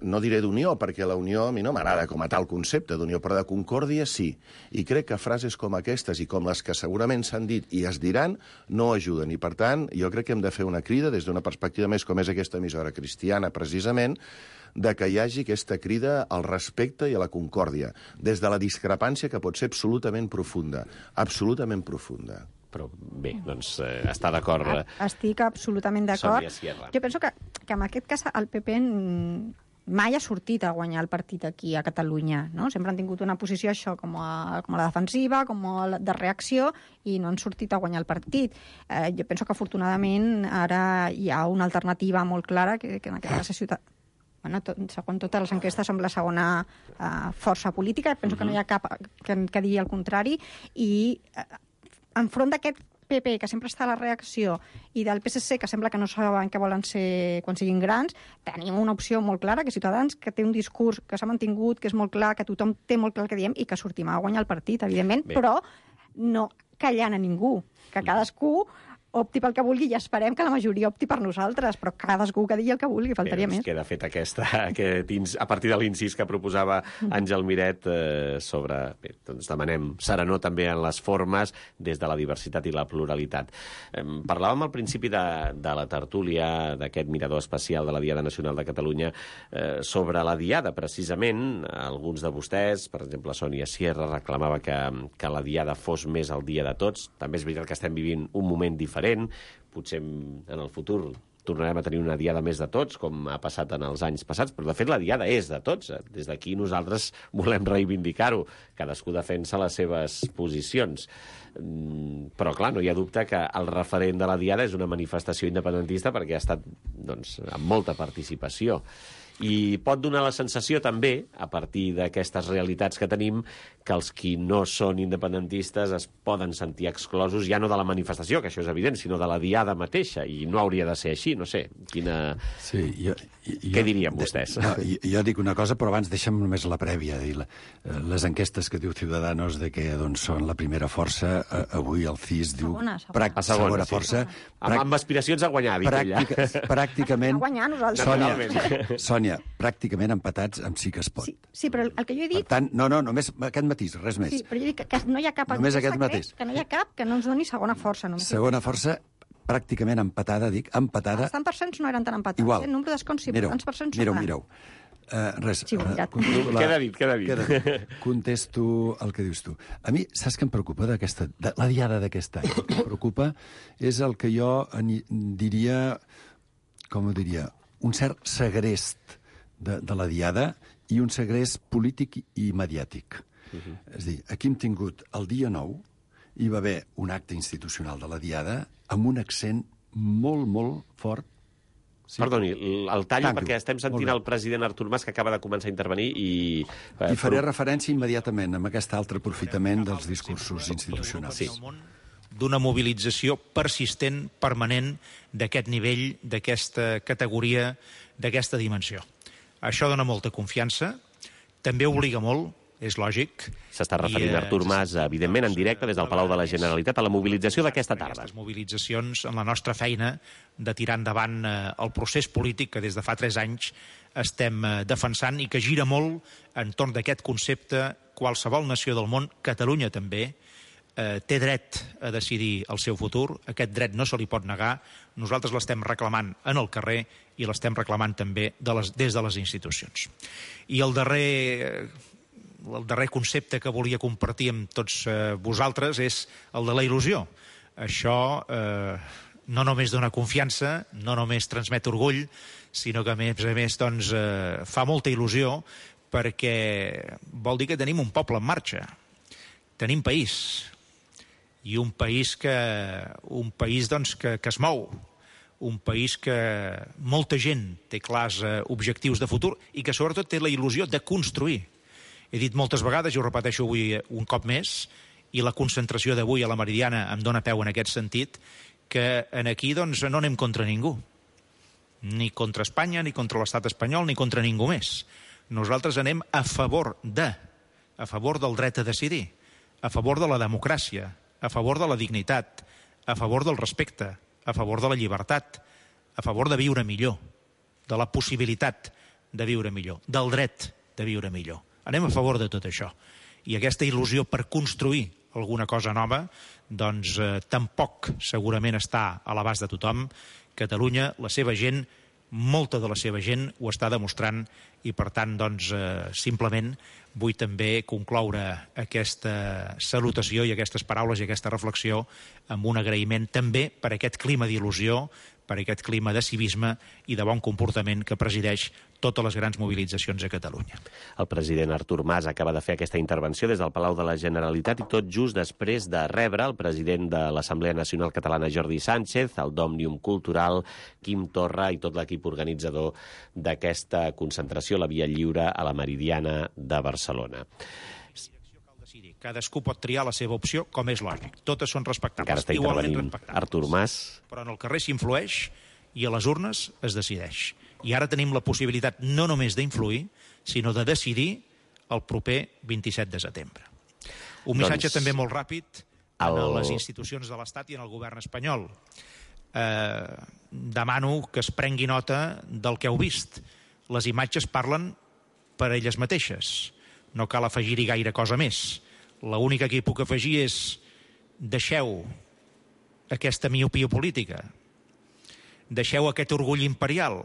no diré d'unió, perquè la unió a mi no m'agrada com a tal concepte d'unió, però de concòrdia sí. I crec que frases com aquestes i com les que segurament s'han dit i es diran no ajuden. I, per tant, jo crec que hem de fer una crida des d'una perspectiva més com és aquesta emissora cristiana, precisament, de que hi hagi aquesta crida al respecte i a la concòrdia, des de la discrepància que pot ser absolutament profunda, absolutament profunda. Però bé, doncs eh, està d'acord. Eh? Estic absolutament d'acord. Sònia Sierra. Jo penso que, que en aquest cas el P P mai ha sortit a guanyar el partit aquí a Catalunya, no? Sempre han tingut una posició això com a, com a la defensiva, com a la de reacció, i no han sortit a guanyar el partit. Eh, jo penso que afortunadament ara hi ha una alternativa molt clara, que, que en aquest cas és Ciutat... Bueno, tot, segons totes les enquestes som la segona uh, força política, penso uh-huh. que no hi ha cap que, que digui el contrari, i uh, enfront d'aquest P P, que sempre està a la reacció, i del P S C, que sembla que no saben què volen ser quan siguin grans, tenim una opció molt clara, que Ciutadans, que té un discurs que s'ha mantingut, que és molt clar, que tothom té molt clar el que diem, i que sortim a guanyar el partit, evidentment, Bé. però no callant a ningú, que cadascú opti pel que vulgui i esperem que la majoria opti per nosaltres, però cadascú que digui el que vulgui, faltaria bé, doncs més. Queda fet aquesta, aquest, a partir de l'incís que proposava Àngel Miret eh, sobre... Bé, doncs demanem serenor també en les formes des de la diversitat i la pluralitat. Eh, parlàvem al principi de, de la tertúlia d'aquest mirador especial de la Diada Nacional de Catalunya eh, sobre la Diada, precisament. Alguns de vostès, per exemple, Sònia Sierra, reclamava que, que la Diada fos més el dia de tots. També és veritat que estem vivint un moment diferent. Potser en el futur tornarem a tenir una diada més de tots, com ha passat en els anys passats, però de fet la diada és de tots. Des d'aquí nosaltres volem reivindicar-ho. Cadascú defensa les seves posicions. Però, clar, no hi ha dubte que el referent de la diada és una manifestació independentista perquè ha estat, doncs, amb molta participació. I pot donar la sensació també, a partir d'aquestes realitats que tenim, que els qui no són independentistes es poden sentir exclosos ja no de la manifestació, que això és evident, sinó de la diada mateixa, i no hauria de ser així, no sé, quina... Sí, jo, jo, Què dirien vostès? No, jo, jo dic una cosa, però abans deixa'm només la prèvia. Dir, la, les enquestes que diu Ciudadanos de que doncs, són la primera força, eh, avui el C I S diu... Segona, segona. Prac, A segona, segona sí. força. Amb, amb aspiracions a guanyar, dic pràctica, ella. Pràcticament... A guanyar nosaltres. Sònia, Sònia, pràcticament empatats amb Sí que es pot. Sí, sí, però el que jo he Per dit... tant, no, no, només aquest matís, res més. Sí, però jo dic que, que no hi ha cap... Només enquesta aquest que- mateix. Que no hi ha cap que no ens doni segona força. Només. Segona força, pràcticament empatada, dic, empatada. Els tants percents no eren tan empatats. Igual. Eh? El nombre d'escons sí, però Mireu, tants percents mireu, no eren. mireu. Uh, res. Sí, ho he mirat. contesto Queda dit, queda dit. Queda dit. Contesto el que dius tu. A mi, saps què em preocupa d'aquesta... De, la diada d'aquest any? El que em preocupa és el que jo en, diria... Com ho diria? Un cert segrest de, de la diada i un segrest polític i mediàtic. Uh -huh. És a dir, aquí hem tingut el dia nou, hi va haver un acte institucional de la diada amb un accent molt, molt fort. Sí. Perdoni, el tallo, Tanco. perquè estem sentint el president Artur Mas, que acaba de començar a intervenir, i... Eh, I faré però... referència immediatament amb aquest altre aprofitament dels discursos institucionals. Sí. D'una mobilització persistent, permanent, d'aquest nivell, d'aquesta categoria, d'aquesta dimensió. Això dona molta confiança, també obliga molt, és lògic. S'està referint I, eh, Artur Mas, evidentment, en directe des del Palau de la Generalitat, a la mobilització d'aquesta tarda. Aquestes mobilitzacions en la nostra feina de tirar endavant eh, el procés polític que des de fa tres anys estem eh, defensant i que gira molt entorn d'aquest concepte. Qualsevol nació del món, Catalunya també, eh, té dret a decidir el seu futur. Aquest dret no se li pot negar. Nosaltres l'estem reclamant en el carrer i l'estem reclamant també de les, des de les institucions. I el darrer... el darrer concepte que volia compartir amb tots eh, vosaltres és el de la il·lusió. Això eh, no només dona confiança, no només transmet orgull, sinó que a més a més doncs, eh, fa molta il·lusió perquè vol dir que tenim un poble en marxa. Tenim país. I un país que, un país, doncs, que, que es mou. Un país que molta gent té clars eh, objectius de futur i que sobretot té la il·lusió de construir. He dit moltes vegades, i ho repeteixo avui un cop més, i la concentració d'avui a la Meridiana em dóna peu en aquest sentit, que en aquí doncs, no anem contra ningú. Ni contra Espanya, ni contra l'estat espanyol, ni contra ningú més. Nosaltres anem a favor de, a favor del dret a decidir, a favor de la democràcia, a favor de la dignitat, a favor del respecte, a favor de la llibertat, a favor de viure millor, de la possibilitat de viure millor, del dret de viure millor. Anem a favor de tot això. I aquesta il·lusió per construir alguna cosa nova, doncs eh, tampoc segurament està a l'abast de tothom. Catalunya, la seva gent, molta de la seva gent ho està demostrant i, per tant, doncs, eh, simplement vull també concloure aquesta salutació i aquestes paraules i aquesta reflexió amb un agraïment també per aquest clima d'il·lusió, per aquest clima de civisme i de bon comportament que presideix totes les grans mobilitzacions a Catalunya. El president Artur Mas acaba de fer aquesta intervenció des del Palau de la Generalitat i tot just després de rebre el president de l'Assemblea Nacional Catalana, Jordi Sánchez, el d'Òmnium Cultural, Quim Torra i tot l'equip organitzador d'aquesta concentració, la Via Lliure a la Meridiana de Barcelona. Cadascú pot triar la seva opció, com és lògic. Totes són respectables. Encara està intervenint Artur Mas. Però en el carrer s'influeix i a les urnes es decideix. I ara tenim la possibilitat no només d'influir, sinó de decidir el proper vint-i-set de setembre. Un missatge doncs... també molt ràpid el... en les institucions de l'Estat i en el govern espanyol. Eh, demano que es prengui nota del que heu vist. Les imatges parlen per elles mateixes. No cal afegir-hi gaire cosa més. L'única que hi puc afegir és deixeu aquesta miopia política, deixeu aquest orgull imperial,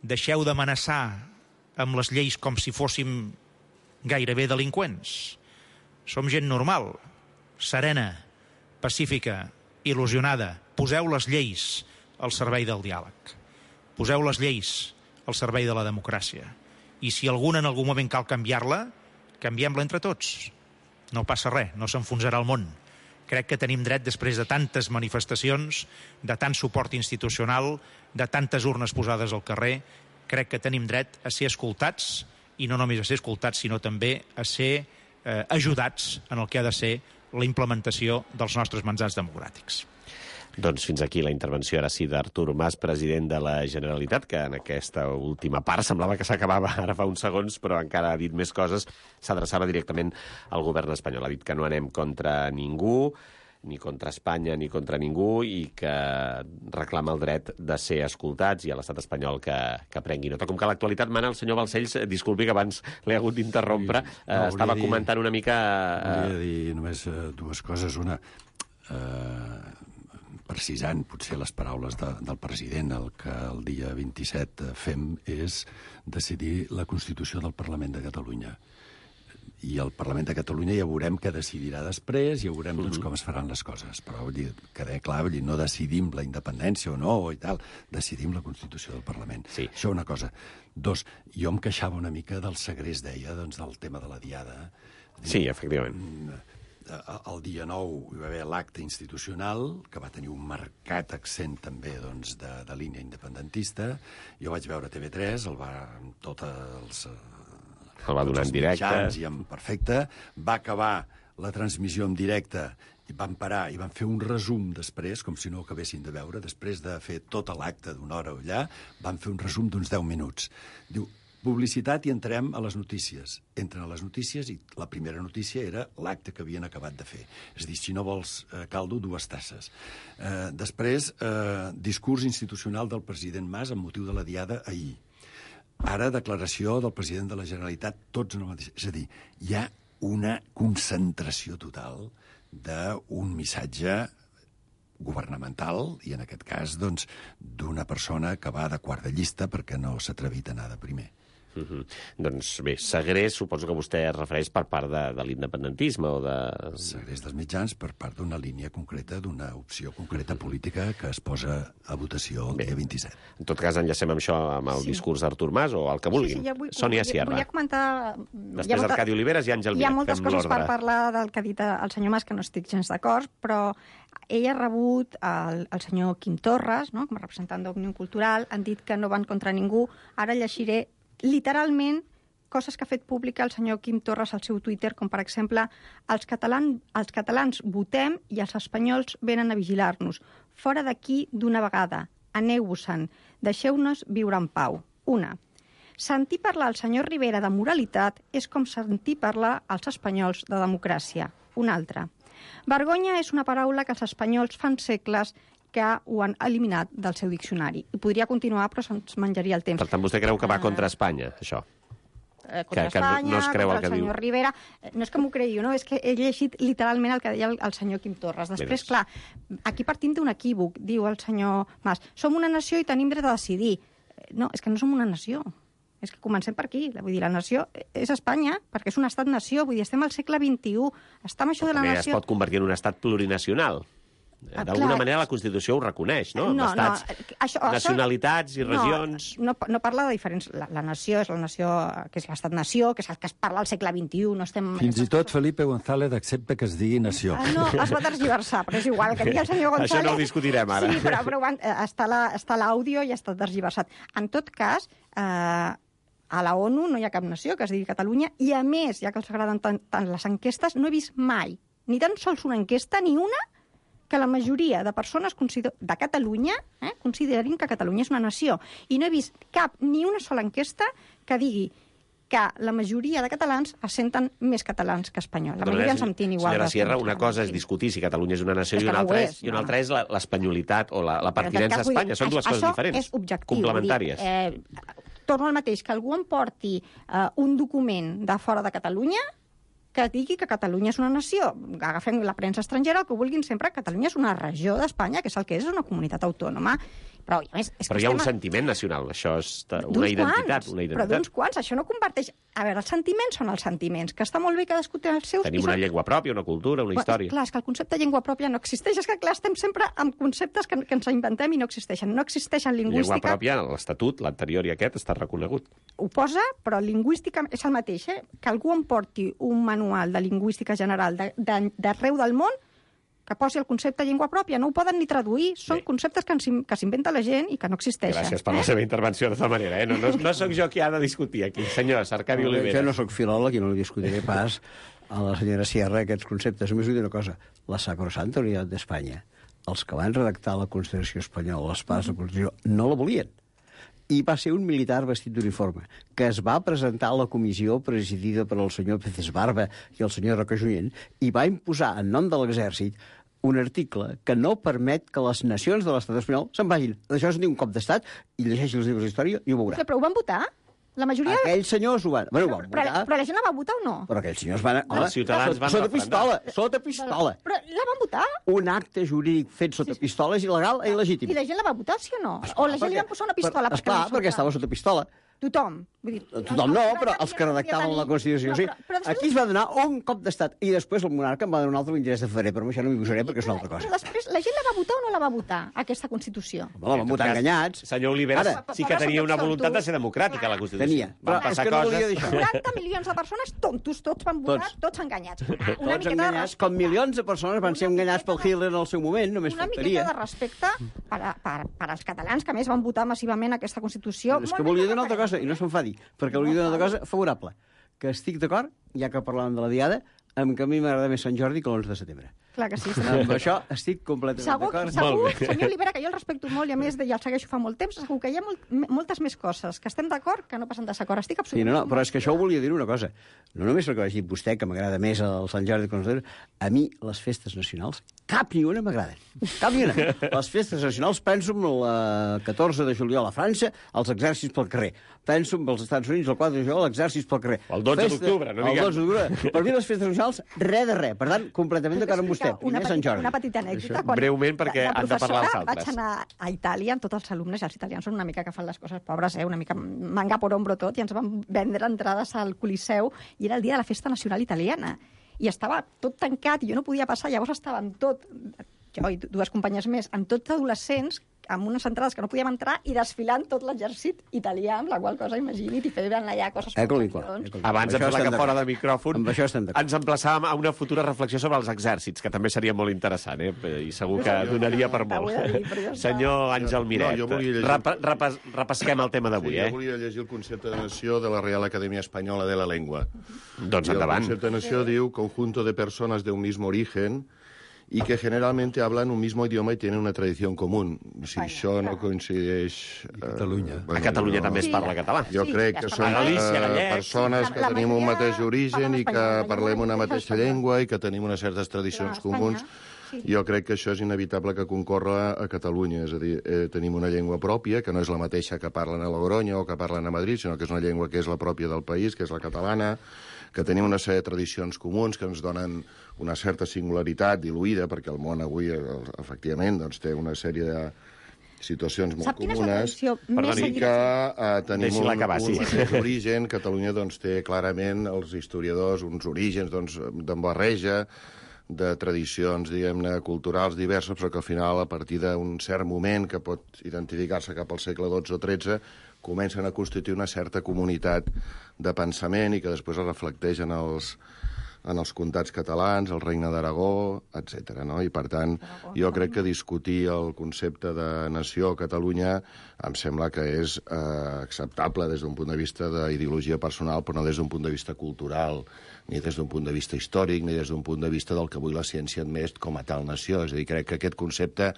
deixeu d'amenaçar amb les lleis com si fóssim gairebé delinqüents. Som gent normal, serena, pacífica, il·lusionada. Poseu les lleis al servei del diàleg. Poseu les lleis al servei de la democràcia. I si alguna en algun moment cal canviar-la, canviem-la entre tots. No passa res, no s'enfonsarà el món. Crec que tenim dret, després de tantes manifestacions, de tant suport institucional, de tantes urnes posades al carrer, crec que tenim dret a ser escoltats, i no només a ser escoltats, sinó també a ser eh, ajudats en el que ha de ser la implementació dels nostres mandats democràtics. Doncs fins aquí la intervenció, ara sí, d'Artur Mas, president de la Generalitat, que en aquesta última part semblava que s'acabava ara fa uns segons, però encara ha dit més coses. S'adreçava directament al govern espanyol. Ha dit que no anem contra ningú, ni contra Espanya ni contra ningú, i que reclama el dret de ser escoltats, i a l'estat espanyol que, que prengui nota. Com que l'actualitat mana, el senyor Balcells, disculpi que abans l'he hagut d'interrompre, sí, no, eh, estava dir, comentant una mica... Eh... Volia dir només uh, dues coses. Una... Uh... precisant potser les paraules de, del president, el que el dia vint-i-set fem és decidir la Constitució del Parlament de Catalunya. I el Parlament de Catalunya ja veurem què decidirà després, ja veurem doncs, com es faran les coses. Però vull dir, queda clar, vull dir, no decidim la independència o no, i tal, decidim la Constitució del Parlament. Sí. Això una cosa. Dos, jo em queixava una mica del segrest, deia, doncs, del tema de la Diada. Sí, efectivament. El dia nou hi va haver l'acte institucional, que va tenir un marcat accent també doncs, de, de línia independentista. Jo vaig veure T V tres, el va amb tots els... El va donar en directe. I en perfecte. Va acabar la transmissió en directe i van parar i van fer un resum després, com si no ho acabessin de veure. Després de fer tot l'acte d'una hora allà, van fer un resum d'uns deu minuts. Diu, publicitat i entrem a les notícies. Entren a les notícies i la primera notícia era l'acte que havien acabat de fer. És a dir, si no vols eh, caldo, dues tasses. Eh, després, eh, discurs institucional del president Mas amb motiu de la Diada ahir. Ara, declaració del president de la Generalitat, tots en el mateix... És a dir, hi ha una concentració total d'un missatge governamental, i en aquest cas, doncs, d'una persona que va de quart de llista perquè no s'ha atrevit a anar de primer. Uh-huh. Doncs bé, segrest suposo que vostè es refereix per part de, de l'independentisme o de... Segrest dels mitjans per part d'una línia concreta, d'una opció concreta uh-huh. política que es posa a votació el bé. dia vint-i-set. En tot cas, enllacem amb això, amb el sí. discurs d'Artur Mas o el que vulguin. Sí, sí, ja vull, Sònia volia, Sierra. Volia comentar... Després Arcadi Oliveres i Àngel Miret. Hi ha moltes coses per parlar del que ha dit el senyor Mas, que no estic gens d'acord, però ell ha rebut el, el senyor Quim Torres, no? Com a representant d'Òmnium Cultural, han dit que no van contra ningú. Ara llegiré literalment coses que ha fet pública el senyor Quim Torres al seu Twitter, com per exemple, els, catalans, els catalans votem i els espanyols venen a vigilar-nos. Fora d'aquí d'una vegada, aneu-vos-en, deixeu-nos viure en pau. Una, sentir parlar al senyor Rivera de moralitat és com sentir parlar als espanyols de democràcia. Una altra, vergonya és una paraula que els espanyols fan segles que ho han eliminat del seu diccionari. I podria continuar, però se'ns menjaria el temps. Per tant, vostè creu que va contra Espanya, això? Eh, contra que, Espanya, que no, no es creu contra el, que el senyor diu. Rivera. No és que m'ho cregui, no? És que he llegit literalment el que deia el, el senyor Quim Torres. Després, clar, aquí partim d'un equívoc, diu el senyor Mas. Som una nació i tenim dret a decidir. No, és que no som una nació. És que comencem per aquí. Vull dir, la nació és Espanya, perquè és un estat-nació. Vull dir, estem al segle vint-i-u. Està amb això de la nació... nació... es pot convertir en un estat plurinacional. D'alguna manera la Constitució ho reconeix, no? No, estats, no. Això, nacionalitats i regions... No, no, no parla de diferents... La, la nació és la nació, que és l'estat-nació, que és el que es parla al segle vint-i-u, no estem... Fins i tot Felipe González accepta que es digui nació. Ah, no, es va tergiversar, però és igual, que digui el senyor González... Això no ho discutirem ara. Sí, però, però està l'àudio i està tergiversat. En tot cas, eh, a la ONU no hi ha cap nació que es digui Catalunya, i a més, ja que els agraden tant, tant les enquestes, no he vist mai, ni tan sols una enquesta, ni una que la majoria de persones de Catalunya eh, considerin que Catalunya és una nació. I no he vist cap, ni una sola enquesta que digui que la majoria de catalans es senten més catalans que espanyols. La majoria ens sentim igual. Senyora Sierra, una cosa és discutir si Catalunya és una nació és i una no altra és, és, i una altra és l'espanyolitat o la, la pertinença a Espanya. Són dues coses diferents, és objectiu, complementàries. Dir, eh, torno al mateix, que algú em porti eh, un document de fora de Catalunya que digui que Catalunya és una nació. Agafem la premsa estrangera, el que vulguin sempre, Catalunya és una regió d'Espanya, que és el que és, és una comunitat autònoma. Però, a més, és Però que hi ha estem... un sentiment nacional, això és una identitat, quants, una identitat. Però d'uns quants, això no comparteix... A veure, els sentiments són els sentiments, que està molt bé cadascú té els seus... Tenim una llengua pròpia, una cultura, una història. Clar, és que el concepte de llengua pròpia no existeix. És que, clar, estem sempre amb conceptes que, que ens inventem i no existeixen. No existeixen lingüística... Llengua pròpia, l'Estatut, l'anterior i aquest, està reconegut. Ho posa, però lingüística és el mateix, eh? Que algú em porti un manual de lingüística general d'arreu del món que posi el concepte llengua pròpia. No ho poden ni traduir. Són Bé. conceptes que, que s'inventa la gent i que no existeixen. Gràcies per la seva intervenció, de tota manera. Eh? No, no, no sóc jo qui ha de discutir aquí. Senyor Arcadi no, Oliveras. Jo no sóc filòleg i no li discutiré pas a la senyora Sierra aquests conceptes. Només vull dir una cosa. La Sacrosanta Unitat d'Espanya, els que van redactar la Constitució espanyola, les parts de la Constitució, no la volien. I va ser un militar vestit d'uniforme, que es va presentar a la comissió presidida per el senyor Pérez Barba i el senyor Roca Junyent, i va imposar, en nom de l'exèrcit, un article que no permet que les nacions de l'estat espanyol se'n vagin. D'això es diu un cop d'estat, i llegeixi els llibres d'història i ho veurà. Però ho van votar? La majoria... Aquells senyors ho van... Bueno, ho van però, votar. Però la gent la va votar o no? Però aquells senyors van... Els Home, ciutadans van sota referendar. pistola, sota pistola. Però la van votar? Un acte jurídic fet sota pistola és il·legal i il·legítim. I la gent la va votar, sí o no? O la gent li van posar una pistola? Per, esclar, perquè estava sota pistola. Tothom. Vull dir, Tothom no, però els que redactaven la Constitució, sí. Aquí es va donar un cop d'estat i després el monarca em va donar un altre vint-i-tres de febrer, però això no m'hi posaré perquè és una altra cosa. Però després, la gent la va votar o no la va votar, aquesta Constitució? Home, la van votar enganyats. Senyor Oliveras, Ara, sí que tenia una voluntat de ser democràtica, la Constitució. Tenia, però és que no volia dir això. quaranta milions de persones tontos, tots van votar, tots, tots enganyats. Una, una tots enganyats, com milions de persones van ser enganyats pel Hitler en el seu moment, només una faltaria. Una miqueta de respecte per, a, per, per als catalans, que a més van votar massivament aquesta Constitució. És que volia dir una altra cosa, i no s'enfadi, perquè volia dir una altra cosa favorable, que estic d'acord, ja que parlàvem de la Diada, amb que a mi m'agrada més Sant Jordi que l'onze de setembre. Clar que sí. Amb això estic completament d'acord. Segur, senyor Olivera, que jo el respecto molt i a més ja el segueixo fa molt temps, segur que hi ha molt, moltes més coses que estem d'acord que no passen desacord. Estic absolutament... Sí, no, no, però és que això ho volia dir una cosa. No només el que va dir vostè, que m'agrada més el Sant Jordi que l'onze de setembre, a mi les festes nacionals, cap ni una m'agraden. Cap ni una. Les festes nacionals, penso en el catorze de juliol a França, els exèrcits pel carrer. Penso en els Estats Units, el quatre de juliol, exèrcits pel carrer. El dotze d'octubre, no diguem. El dotze d'octubre. Per mi les festes nacionals, res de res. Per tant, completament d'acord amb vostè. Primer Sant Jordi. Una petita anècdota. Quan breument, perquè de, de han de parlar els altres. Vaig anar a Itàlia amb tots els alumnes, i els italians són una mica que fan les coses pobres, eh? Una mica manga por hombro tot, i ens van vendre entrades al Coliseu, i era el dia de la festa nacional italiana. I estava tot tancat, i jo no podia passar, llavors estàvem tot, jo i dues companyes més, amb tots adolescents, amb unes entrades que no podíem entrar i desfilant tot l'exèrcit italià, amb la qual cosa, imagini't, i feien allà coses... Abans de fer-la que fora de micròfon, ens emplaçàvem a una futura reflexió sobre els exèrcits, que també seria molt interessant, eh? I segur que donaria per molt. Senyor Àngel Miret, repesquem el tema d'avui, eh? Jo volia llegir el concepte de nació de la Real Academia Espanyola de la Lengua. Doncs endavant. El concepte de nació diu conjunto de personas de un mismo origen y que generalmente hablan un mismo idioma y tienen una tradición común. Si això no coincideix... A Catalunya. A Catalunya també es parla català. Jo crec que són persones que tenim un mateix origen i que parlem una mateixa llengua i que tenim unes certes tradicions comuns. Jo crec que això és inevitable que concorre a Catalunya. És a dir, eh, tenim una llengua pròpia, que no és la mateixa que parlen a Logroño o que parlen a Madrid, sinó que és una llengua que és la pròpia del país, que és la catalana, que tenim una sèrie de tradicions comuns que ens donen una certa singularitat diluïda, perquè el món avui, efectivament, doncs, té una sèrie de situacions molt comunes, i que eh, tenim un, un origen. Catalunya doncs, té clarament els historiadors uns orígens doncs, d'embarreja, de tradicions, diguem-ne, culturals diverses, però que al final, a partir d'un cert moment que pot identificar-se cap al segle dotze o tretze, comencen a constituir una certa comunitat de pensament i que després es reflecteix en els, en els comtats catalans, el Regne d'Aragó, etcètera. No? I, per tant, jo crec que discutir el concepte de nació a Catalunya em sembla que és eh, acceptable des d'un punt de vista d'ideologia personal, però no des d'un punt de vista cultural, ni des d'un punt de vista històric, ni des d'un punt de vista del que avui la ciència admet com a tal nació. És a dir, crec que aquest concepte...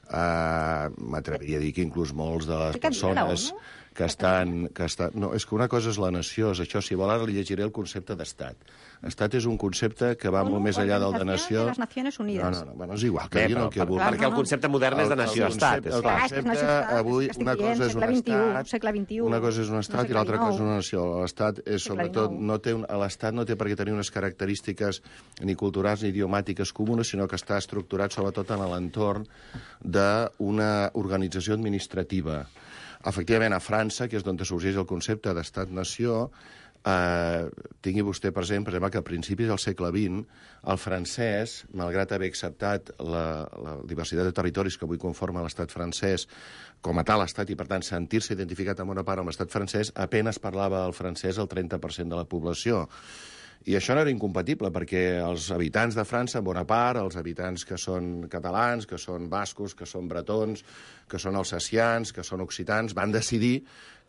Uh, m'atreviria a dir que inclús molts de les persones que estan... Que estan... No, és que una cosa és la nació, és això. Si vol, ara li llegiré el concepte d'estat. Estat és un concepte que va molt més enllà del de nació... de les Nacions Unides. No, no, no, bueno, és igual, que Bé, diguin però, el que per, vulguin. perquè el concepte modern és de nació-estat. El concepte, avui, una cosa és un estat, segle vint-i-u, una cosa és un estat i l'altra cosa és una nació. L'estat és, sobretot, no té un, l'estat no té per què tenir unes característiques ni culturals ni idiomàtiques comunes, sinó que està estructurat sobretot en l'entorn d'una organització administrativa. Efectivament, a França, que és d'on sorgeix el concepte d'estat-nació, eh, tingui vostè present, per exemple, que a principis del segle vint, el francès, malgrat haver acceptat la, la diversitat de territoris que avui conforma l'estat francès com a tal estat, i per tant sentir-se identificat en bona part amb l'estat francès, apenas parlava el francès el trenta per cent de la població. I això no era incompatible, perquè els habitants de França, en bona part, els habitants que són catalans, que són bascos, que són bretons, que són alsacians, que són occitans, van decidir que